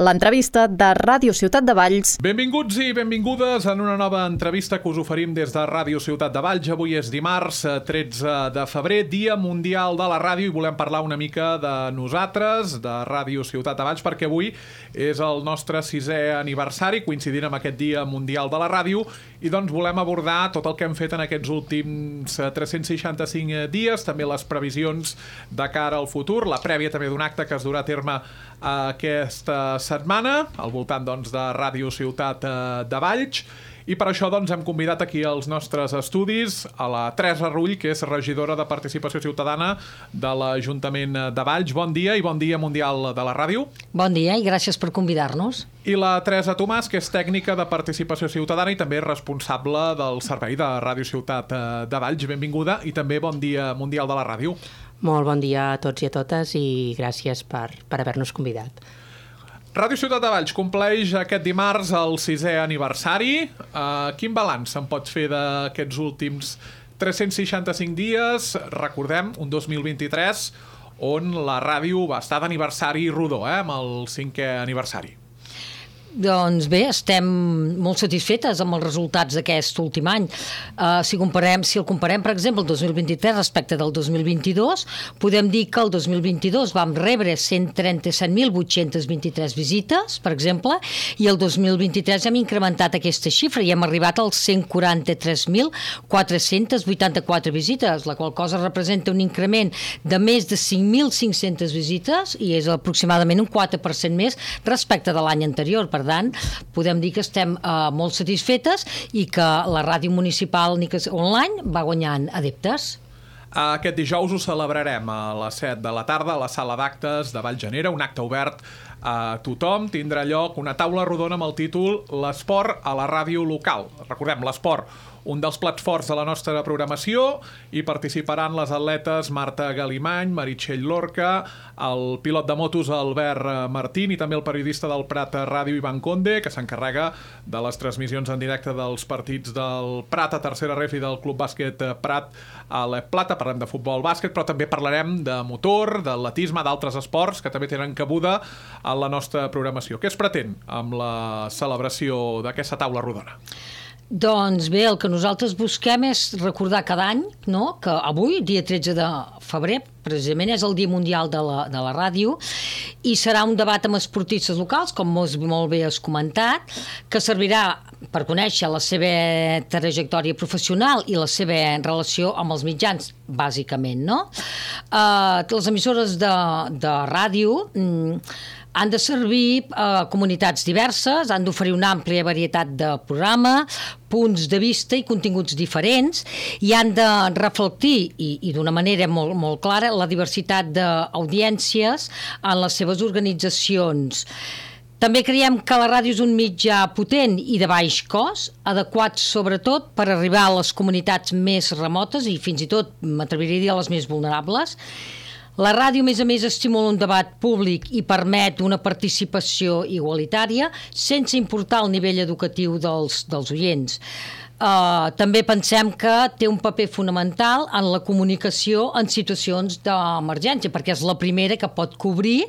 l'entrevista de Ràdio Ciutat de Valls. Benvinguts i benvingudes en una nova entrevista que us oferim des de Ràdio Ciutat de Valls. Avui és dimarts 13 de febrer, Dia Mundial de la Ràdio, i volem parlar una mica de nosaltres, de Ràdio Ciutat de Valls, perquè avui és el nostre 6è aniversari, coincidint amb aquest Dia Mundial de la Ràdio, i doncs volem abordar tot el que hem fet en aquests últims 365 dies, també les previsions de cara al futur, la prèvia també d'un acte que es durà a terme aquesta setmana, al voltant doncs, de Ràdio Ciutat de Valls. I per això doncs, hem convidat aquí als nostres estudis a la Teresa Rull, que és regidora de Participació Ciutadana de l'Ajuntament de Valls. Bon dia i bon dia Mundial de la Ràdio. Bon dia i gràcies per convidar-nos. I la Teresa Tomàs, que és tècnica de Participació Ciutadana i també responsable del servei de Ràdio Ciutat de Valls. Benvinguda i també bon dia Mundial de la Ràdio. Molt bon dia a tots i a totes i gràcies per haver-nos convidat. Ràdio Ciutat de Valls compleix aquest dimarts el 6è aniversari. Quin balanç se'n pot fer d'aquests últims 365 dies? Recordem, un 2023 on la ràdio va estar d'aniversari rodó, amb el 5è aniversari. Doncs bé, estem molt satisfetes amb els resultats d'aquest últim any. Si el comparem, per exemple, el 2023 respecte del 2022, podem dir que el 2022 vam rebre 137.823 visites, per exemple, i el 2023 hem incrementat aquesta xifra i hem arribat als 143.484 visites, la qual cosa representa un increment de més de 5.500 visites i és aproximadament un 4% més respecte de l'any anterior. Per tant, podem dir que estem molt satisfetes i que la ràdio municipal online va guanyant adeptes. Aquest dijous ho celebrarem a les 7 de la tarda a la sala d'actes de Vallgenera, un acte obert a tothom. Tindrà lloc una taula rodona amb el títol L'esport a la ràdio local. Recordem, l'esport, un dels plats forts de la nostra programació, i participaran les atletes Marta Galimany, Meritxell Lorca, el pilot de motos Albert Martín i també el periodista del Prat Ràdio Ivan Conde, que s'encarrega de les transmissions en directe dels partits del Prat a tercera ref i del Club Bàsquet Prat a la Plata. Parlem de futbol, bàsquet, però també parlarem de motor, d'atletisme, d'altres esports que també tenen cabuda a la nostra programació. Què es pretén amb la celebració d'aquesta taula rodona? Doncs bé, el que nosaltres busquem és recordar cada any, no?, que avui, dia 13 de febrer, precisament és el Dia Mundial de la Ràdio, i serà un debat amb esportistes locals, com molt bé has comentat, que servirà per conèixer la seva trajectòria professional i la seva relació amb els mitjans, bàsicament, no? Les emissores de ràdio han de servir a comunitats diverses, han d'oferir una àmplia varietat de programa, punts de vista i continguts diferents, i han de reflectir, i d'una manera molt, molt clara, la diversitat d'audiències en les seves organitzacions. També creiem que la ràdio és un mitjà potent i de baix cost, adequat sobretot per arribar a les comunitats més remotes i fins i tot, m'atreviria a dir, a les més vulnerables. La ràdio, a més, estimula un debat públic i permet una participació igualitària sense importar el nivell educatiu dels oients. També pensem que té un paper fonamental en la comunicació en situacions d'emergència, perquè és la primera que pot cobrir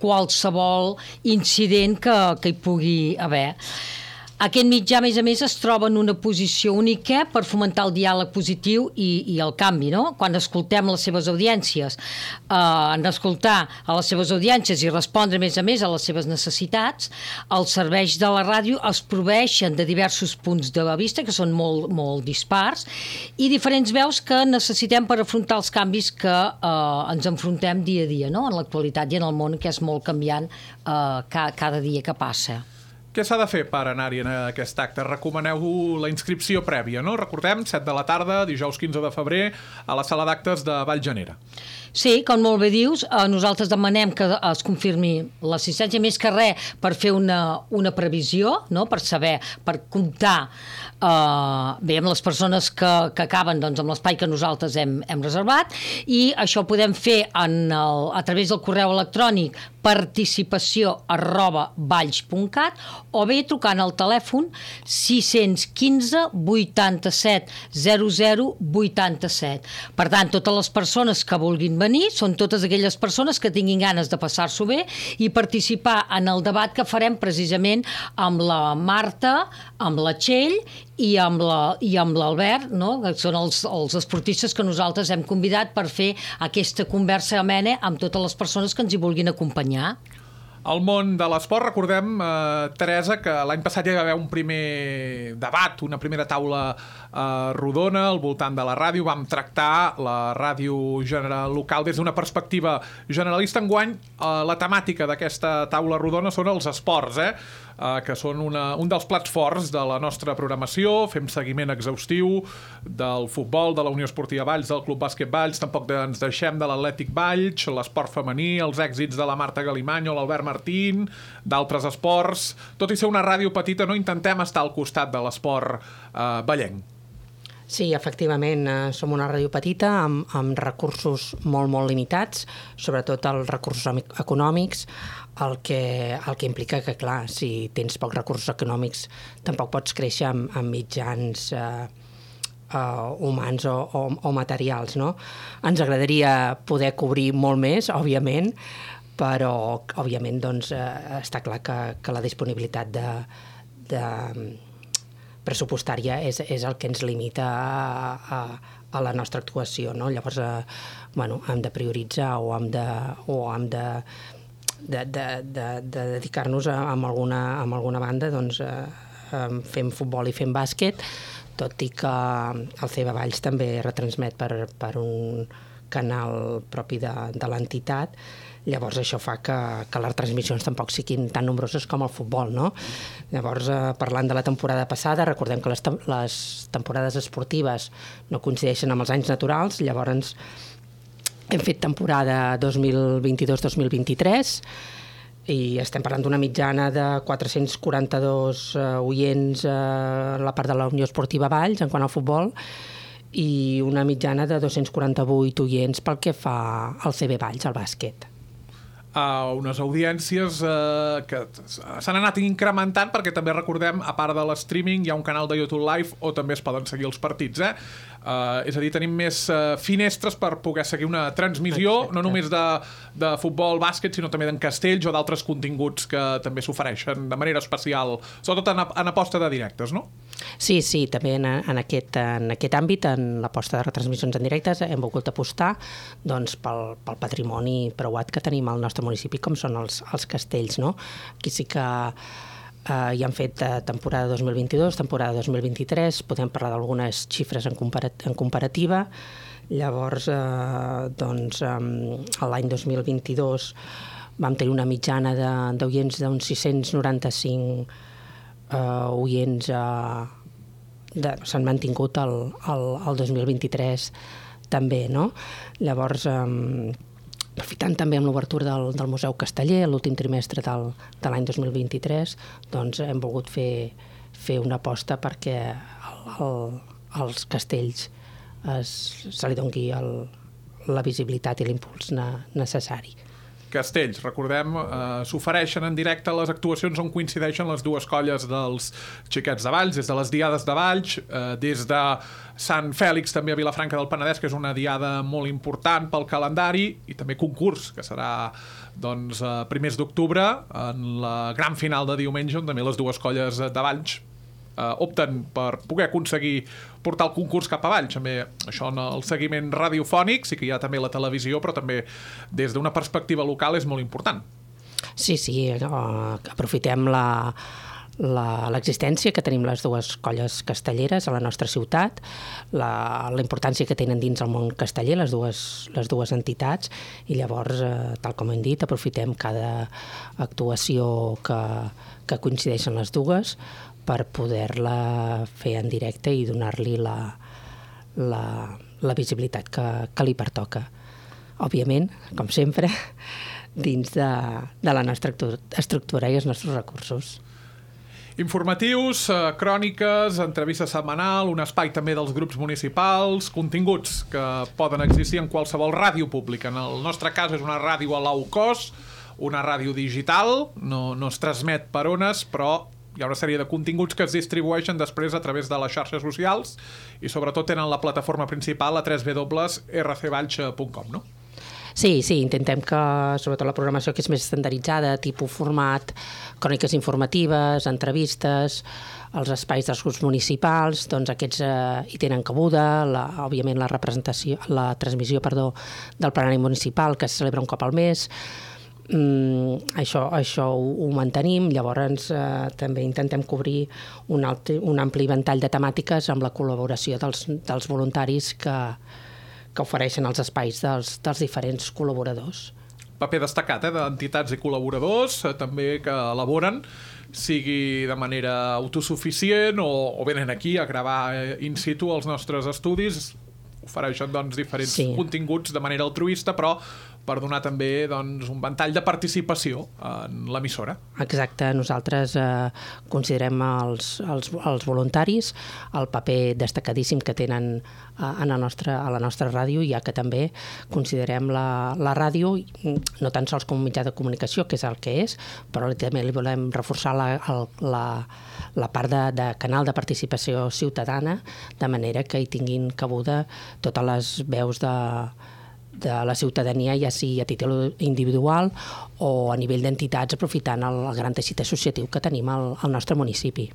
qualsevol incident que hi pugui haver. Aquest mitjà, a més, es troba en una posició única per fomentar el diàleg positiu i el canvi, no? Quan escoltem les seves audiències, en escoltar a les seves audiències i respondre, a més, a les seves necessitats, els serveis de la ràdio es proveeixen de diversos punts de vista que són molt, molt dispars i diferents veus que necessitem per afrontar els canvis que ens enfrontem dia a dia, no? En l'actualitat i en el món, que és molt canviant cada dia que passa. Què s'ha de fer per anar-hi en aquest acte? Recomaneu la inscripció prèvia, no? Recordem, 7 de la tarda, dijous 15 de febrer, a la sala d'actes de Vallgenera. Sí, com molt bé dius, nosaltres demanem que es confirmi l'assistència, més que res per fer una previsió, no? Per saber, per comptar bé amb les persones que acaben amb l'espai que nosaltres hem reservat, i això ho podem fer a través del correu electrònic participació@valls.cat o bé trucant al telèfon 615 87 00 87. Per tant, totes les persones que vulguin venir són totes aquelles persones que tinguin ganes de passar-s'ho bé i participar en el debat que farem precisament amb la Marta, amb la Txell i amb l'Albert, no? Que són els esportistes que nosaltres hem convidat per fer aquesta conversa amena amb totes les persones que ens hi vulguin acompanyar. Al món de l'esport, recordem, Teresa, que l'any passat ja hi va haver un primer debat, una primera taula rodona al voltant de la ràdio. Vam tractar la ràdio local des d'una perspectiva generalista. Enguany, la temàtica d'aquesta taula rodona són els esports, que són un dels plats forts de la nostra programació. Fem seguiment exhaustiu del futbol, de la Unió Esportiva Valls, del Club Bàsquet Valls, tampoc ens deixem de l'Atlètic Valls, l'esport femení, els èxits de la Marta Galimany o l'Albert Martín, d'altres esports. Tot i ser una ràdio petita, no intentem estar al costat de l'esport vallenc. Sí, efectivament, som una ràdio petita amb recursos molt, molt limitats, sobretot els recursos econòmics, el que implica que, clar, si tens pocs recursos econòmics tampoc pots créixer amb mitjans humans o materials, no? Ens agradaria poder cobrir molt més, òbviament, però, òbviament, doncs, està clar que la disponibilitat de pressupostària és el que ens limita a la nostra actuació, no? Llavors, hem de prioritzar o hem de dedicar-nos a alguna banda, doncs fem futbol i fem bàsquet, tot i que el CB Valls també retransmet per un canal propi de l'entitat. Llavors això fa que les transmissions tampoc siguin tan nombroses com el futbol, no? Llavors, parlant de la temporada passada, recordem que les temporades esportives no coincideixen amb els anys naturals, llavors hem fet temporada 2022-2023 i estem parlant d'una mitjana de 442 oients a la part de la Unió Esportiva Valls en quant al futbol i una mitjana de 248 oients pel que fa al CB Valls, al bàsquet. Unes audiències que s'han anat incrementant perquè també recordem, a part de l'streaming, hi ha un canal de YouTube Live on també es poden seguir els partits, és a dir, tenim més finestres per poder seguir una transmissió. Exacte. No només de futbol, bàsquet, sinó també d'en castells o d'altres continguts que també s'ofereixen de manera especial, sobretot en aposta de directes, no? Sí, també en aquest àmbit, en l'aposta de retransmissions en directes, hem volgut apostar doncs, pel patrimoni preuat que tenim al nostre municipi, com són els castells, no? Aquí sí que hi han fet temporada 2022, temporada 2023, podem parlar d'algunes xifres en comparativa. Llavors, l'any 2022 vam tenir una mitjana d'oients d'uns 695 oients, s'han mantingut el 2023 també, no? Llavors, aprofitant també amb l'obertura del Museu Casteller, l'últim trimestre de l'any 2023, doncs hem volgut fer una aposta perquè als castells se li doni la visibilitat i l'impuls necessari. Castells, recordem, s'ofereixen en directe les actuacions on coincideixen les dues colles dels Xiquets de Valls, des de les Diades de Valls, des de Sant Fèlix, també a Vilafranca del Penedès, que és una diada molt important pel calendari, i també concurs, que serà doncs, primers d'octubre, en la gran final de diumenge, on també les dues colles de Valls opten per poder aconseguir portar el concurs cap a Valls. També això en el seguiment radiofònic, sí que hi ha també la televisió, però també des d'una perspectiva local és molt important. Sí, aprofitem l'existència que tenim les dues colles castelleres a la nostra ciutat, la importància que tenen dins el món casteller les dues entitats, i llavors, tal com hem dit, aprofitem cada actuació que coincideixen les dues per poder-la fer en directe i donar-li la visibilitat que li pertoca. Òbviament, com sempre, dins de la nostra estructura i els nostres recursos. Informatius, cròniques, entrevista setmanal, un espai també dels grups municipals, continguts que poden existir en qualsevol ràdio pública. En el nostre cas és una ràdio a low cost, una ràdio digital, no es transmet per ones, però hi ha una sèrie de continguts que es distribueixen després a través de les xarxes socials i sobretot tenen la plataforma principal a www.rcvalls.com, no? Sí, intentem que, sobretot la programació que és més estandarditzada, tipus format, cròniques informatives, entrevistes, els espais dels grups municipals, doncs aquests hi tenen cabuda, òbviament la transmissió del plenari municipal que es celebra un cop al mes. Això ho mantenim, llavors també intentem cobrir un ampli ventall de temàtiques amb la col·laboració dels voluntaris que ofereixen els espais dels diferents col·laboradors. Paper destacat d'entitats i col·laboradors també que elaboren, sigui de manera autosuficient o venen aquí a gravar in situ els nostres estudis, ofereixen diferents continguts de manera altruista, però per donar també un ventall de participació en l'emissora. Exacte, nosaltres considerem els voluntaris el paper destacadíssim que tenen a la nostra ràdio, ja que també considerem la ràdio no tan sols com un mitjà de comunicació, que és el que és, però també li volem reforçar la part de canal de participació ciutadana, de manera que hi tinguin cabuda totes les veus de la ciutadania, ja sigui a títol individual o a nivell d'entitats, aprofitant el gran teixit associatiu que tenim al nostre municipi.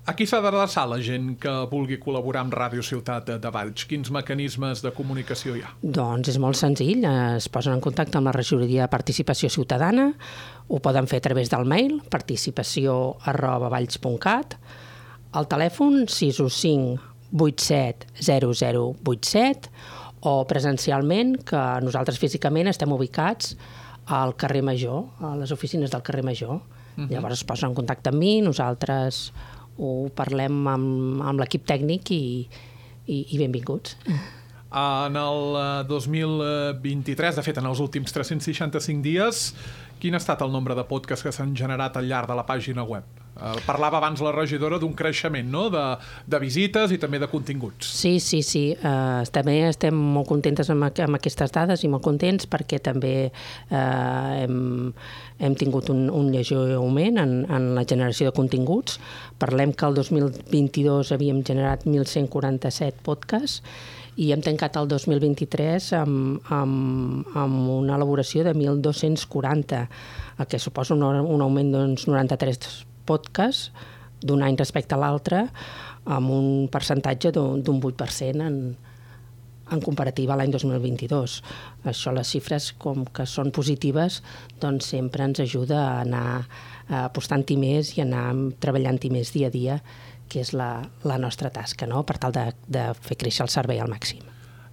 A qui s'ha d'adreçar la gent que vulgui col·laborar amb Ràdio Ciutat de Valls? Quins mecanismes de comunicació hi ha? Doncs és molt senzill, es posen en contacte amb la regidoria de Participació Ciutadana, ho poden fer a través del mail participació@valls.cat, el telèfon 615 87 0087, o presencialment, que nosaltres físicament estem ubicats al carrer Major, a les oficines del carrer Major. Llavors es posen en contacte amb mi, nosaltres ho parlem amb l'equip tècnic i benvinguts. En el 2023, de fet en els últims 365 dies, quin ha estat el nombre de podcasts que s'han generat al llarg de la pàgina web? Parlava abans la regidora d'un creixement, no?, de visites i també de continguts. Sí. També estem molt contentes amb aquestes dades i molt contents perquè també hem tingut un lleuger augment en la generació de continguts. Parlem que el 2022 havíem generat 1.147 podcasts i hem tancat el 2023 amb una elaboració de 1.240, el que suposa un augment d'uns 93 podcasts d'un any respecte a l'altre, amb un percentatge d'un 8% en comparativa a l'any 2022. Això, les xifres, com que són positives, doncs sempre ens ajuda a anar apostant-hi més i anar treballant-hi més dia a dia, que és la nostra tasca, no?, per tal de fer créixer el servei al màxim.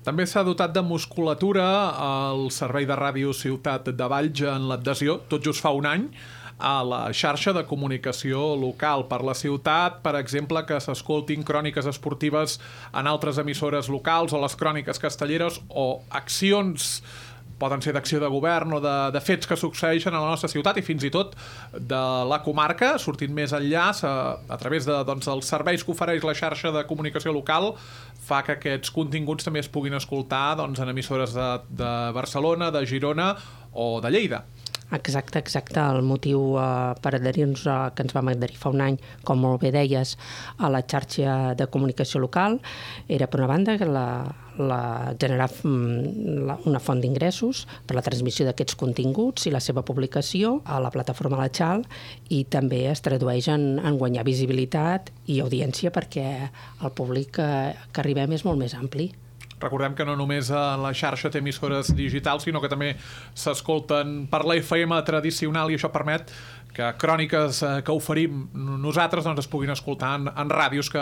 També s'ha dotat de musculatura el servei de Ràdio Ciutat de Valls en l'adhesió, tot just fa un any, a la xarxa de comunicació local per la ciutat, per exemple, que s'escoltin cròniques esportives en altres emissores locals o les cròniques castelleres o accions, poden ser d'acció de govern o de fets que succeeixen a la nostra ciutat i fins i tot de la comarca, sortint més enllà a través dels serveis que ofereix la xarxa de comunicació local, fa que aquests continguts també es puguin escoltar en emissores de Barcelona, de Girona o de Lleida. Exacte. El motiu per adherir-nos, que ens vam adherir fa un any, com molt bé deies, a la xarxa de comunicació local, era, per una banda, generar una font d'ingressos per la transmissió d'aquests continguts i la seva publicació a la plataforma La Xal, i també es tradueix en guanyar visibilitat i audiència perquè el públic que arribem és molt més ampli. Recordem que no només la xarxa té emissores digitals, sinó que també s'escolten per la FM tradicional, i això permet que cròniques que oferim nosaltres es puguin escoltar en ràdios que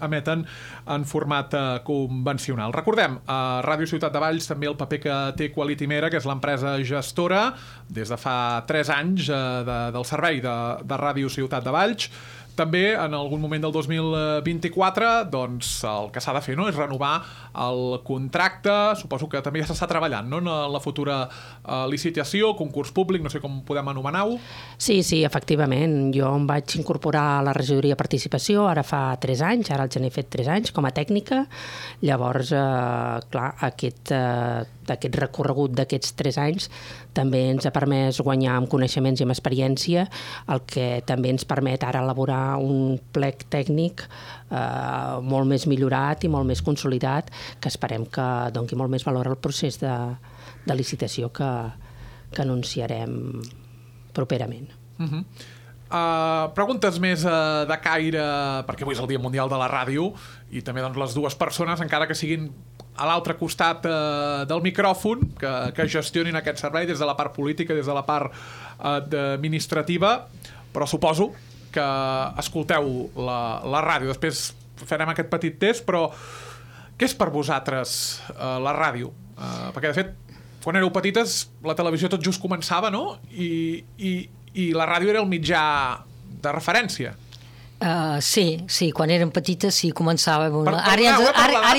emeten en format convencional. Recordem, a Ràdio Ciutat de Valls també el paper que té Quality Mera, que és l'empresa gestora des de fa 3 anys del servei de Ràdio Ciutat de Valls. També, en algun moment del 2024, doncs el que s'ha de fer, no?, és renovar el contracte. Suposo que també ja s'està treballant, no?, en la futura licitació, concurs públic, no sé com podem anomenar-ho. Sí, efectivament. Jo em vaig incorporar a la regidoria de participació ara fa 3 anys, ara el gener he fet 3 anys com a tècnica. Llavors, clar, aquest recorregut d'aquests 3 anys també ens ha permès guanyar amb coneixements i amb experiència, el que també ens permet ara elaborar un plec tècnic molt més millorat i molt més consolidat, que esperem que doni molt més valor al procés de licitació que anunciarem properament. Preguntes més de caire, perquè avui és el Dia Mundial de la Ràdio, i també doncs, les dues persones, encara que siguin a l'altre costat del micròfon, que gestionin aquest servei des de la part política, des de la part administrativa, però suposo que escolteu la ràdio. Després farem aquest petit test, però què és per vosaltres la ràdio? Perquè, de fet, quan éreu petites, la televisió tot just començava, no? I la ràdio era el mitjà de referència. Sí, quan érem petites sí, començava. Ara ja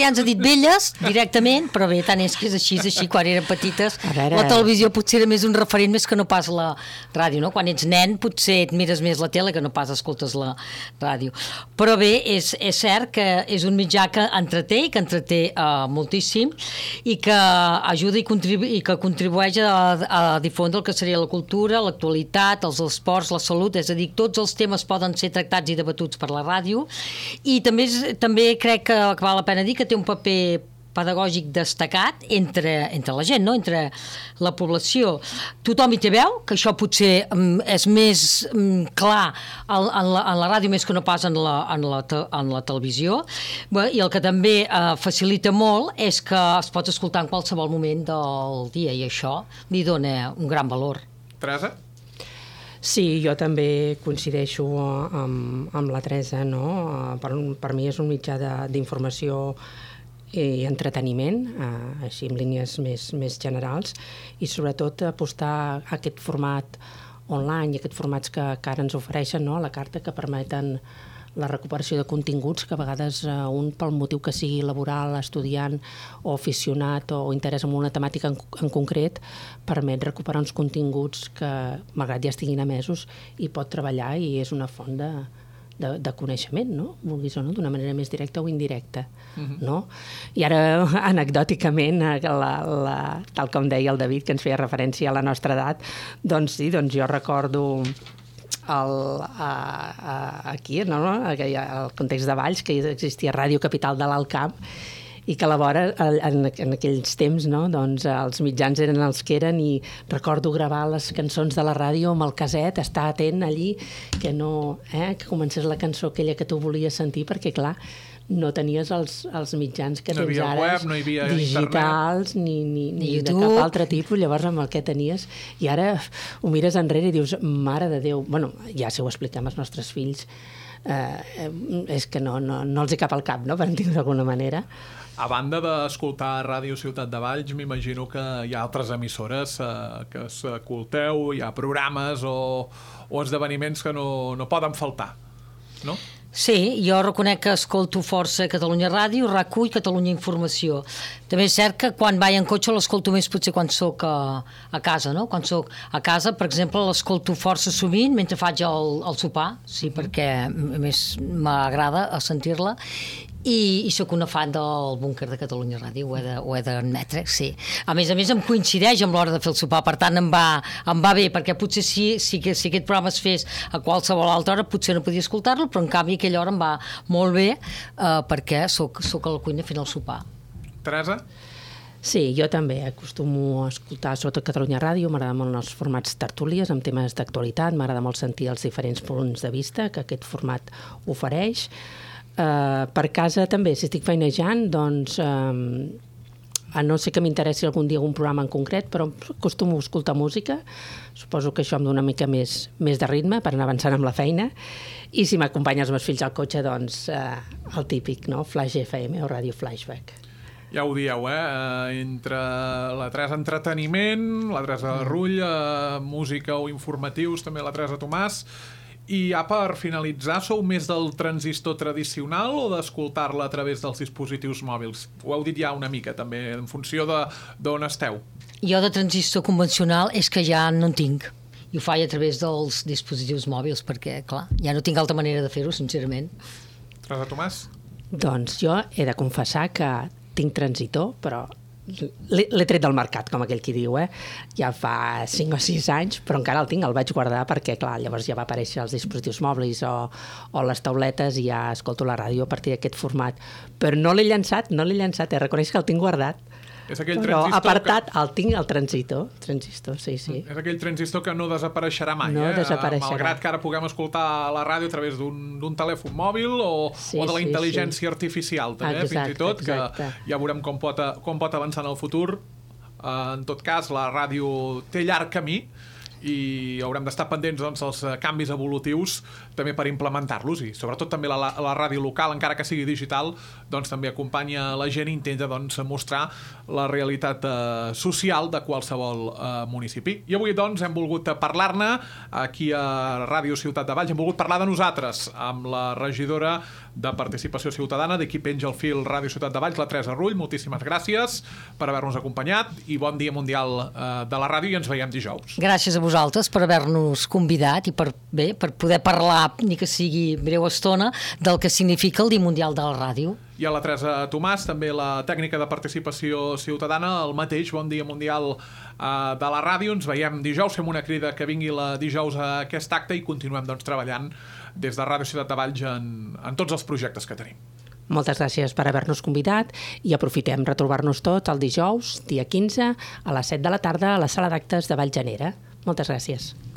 ens ha dit velles directament, però bé, tant és que és així, quan érem petites. La televisió potser era més un referent més que no pas la ràdio, no? Quan ets nen potser et mires més la tele que no pas escoltes la ràdio. Però bé, és cert que és un mitjà que entreté moltíssim i que ajuda i que contribueix a difondre el que seria la cultura, l'actualitat, els esports, la salut, és a dir, tots els temes poden ser tractats i debatuts per la ràdio, i també crec que val la pena dir que té un paper pedagògic destacat entre la gent, no? Entre la població. Tothom hi té veu, que això potser és més clar en la ràdio més que no pas en la televisió, i el que també facilita molt és que es pot escoltar en qualsevol moment del dia, i això li dona un gran valor. Teresa? Sí, jo també coincideixo amb la Teresa, no? Per mi és un mitjà d'informació i entreteniment, així en línies més generals, i sobretot apostar a aquest format online i aquests formats que ara ens ofereixen, no? A la carta, que permeten la recuperació de continguts que a vegades un, pel motiu que sigui laboral, estudiant o aficionat o interès en una temàtica en concret, permet recuperar uns continguts que, malgrat ja estiguin emesos, hi pot treballar i és una font de coneixement, no? Vulguis o no, d'una manera més directa o indirecta, no? I ara, anecdòticament, tal com deia el David, que ens feia referència a la nostra edat, doncs sí, jo recordo aquí, al context de Valls, que existia Ràdio Capital de l'Alt Camp, i que a la vora, en aquells temps, no? Doncs els mitjans eren els que eren, i recordo gravar les cançons de la ràdio amb el caset, estar atent allí, que comencés la cançó aquella que tu volies sentir, perquè clar, no tenies els mitjans que tens ara, web, no hi havia digitals, ni de cap altre tipus. Llavors, amb el que tenies, i ara ho mires enrere i dius, mare de Déu, bueno, ja si ho expliquem als nostres fills, és que no els hi cap al cap, no?, per dir-ho d'alguna manera. A banda d'escoltar Ràdio Ciutat de Valls, m'imagino que hi ha altres emissores que escolteu, hi ha programes o esdeveniments que no poden faltar, no? Sí, jo reconec que escolto força Catalunya Ràdio, RAC1 i Catalunya Informació. També és cert que quan vaig en cotxe l'escolto més potser quan soc a casa, no? Quan soc a casa, per exemple, l'escolto força sovint mentre faig el sopar, sí, perquè més m'agrada sentir-la, i sóc una fan del búnquer de Catalunya Ràdio, ho he d'admetre, sí. A més, em coincideix amb l'hora de fer el sopar, per tant em va bé, perquè potser si aquest programa es fes a qualsevol altra hora potser no podia escoltar-lo, però en canvi a aquella hora em va molt bé, perquè soc a la cuina fent el sopar. Teresa? Sí, jo també acostumo a escoltar sobretot Catalunya Ràdio, m'agrada molt els formats tertúlies amb temes d'actualitat, m'agrada molt sentir els diferents punts de vista que aquest format ofereix. Per casa també, si estic feinejant, doncs a no ser que m'interessi algun dia algun programa en concret, però acostumo a escoltar música, suposo que això em dona una mica més de ritme per anar avançant amb la feina, i si m'acompanyen els meus fills al cotxe, doncs el típic, no? Flash FM o Ràdio Flashback. Ja ho dieu, entre la Teresa entreteniment, la Teresa Rull, música o informatius, també la Teresa Tomàs. I ja per finalitzar, sou més del transistor tradicional o d'escoltar-la a través dels dispositius mòbils? Ho heu dit ja una mica, també, en funció d'on esteu. Jo de transistor convencional és que ja no en tinc. I ho faig a través dels dispositius mòbils, perquè, clar, ja no tinc altra manera de fer-ho, sincerament. Teresa Tomàs? Doncs jo he de confessar que tinc transitor, però l'he tret del mercat, com aquell qui diu, ja fa 5 o 6 anys, però encara el tinc, el vaig guardar perquè, clar, llavors ja va aparèixer els dispositius mòbils o les tauletes i ja escolto la ràdio a partir d'aquest format. Però no l'he llançat, reconeix que el tinc guardat. És aquell però transistor apartat el tinc, el transistor, sí. És aquell transistor que no desapareixerà mai, no desapareixerà. Malgrat que ara puguem escoltar la ràdio a través d'un telèfon mòbil o de la intel·ligència artificial, també, fins i tot, que ja veurem com pot avançar en el futur. En tot cas, la ràdio té llarg camí i haurem d'estar pendents dels canvis evolutius també per implementar-los, i sobretot també la ràdio local, encara que sigui digital, doncs també acompanya la gent i intenta mostrar la realitat social de qualsevol municipi. I avui doncs hem volgut parlar-ne aquí a Ràdio Ciutat de Valls, hem volgut parlar de nosaltres amb la regidora de Participació Ciutadana d'aquí penja el fil Ràdio Ciutat de Valls, la Teresa Rull. Moltíssimes gràcies per haver-nos acompanyat i bon dia mundial de la ràdio i ens veiem dijous. Gràcies a vosaltres per haver-nos convidat i per poder parlar, ni que sigui breu estona, del que significa el Dia Mundial de la Ràdio. I a la Teresa Tomàs, també la tècnica de Participació Ciutadana, el mateix, bon dia mundial de la ràdio. Ens veiem dijous, fem una crida que vingui la dijous a aquest acte i continuem treballant des de Ràdio Ciutat de Valls en tots els projectes que tenim. Moltes gràcies per haver-nos convidat i aprofitem retrobar-nos tots el dijous, dia 15, a les 7 de la tarda a la sala d'actes de Valljanera. Moltes gràcies.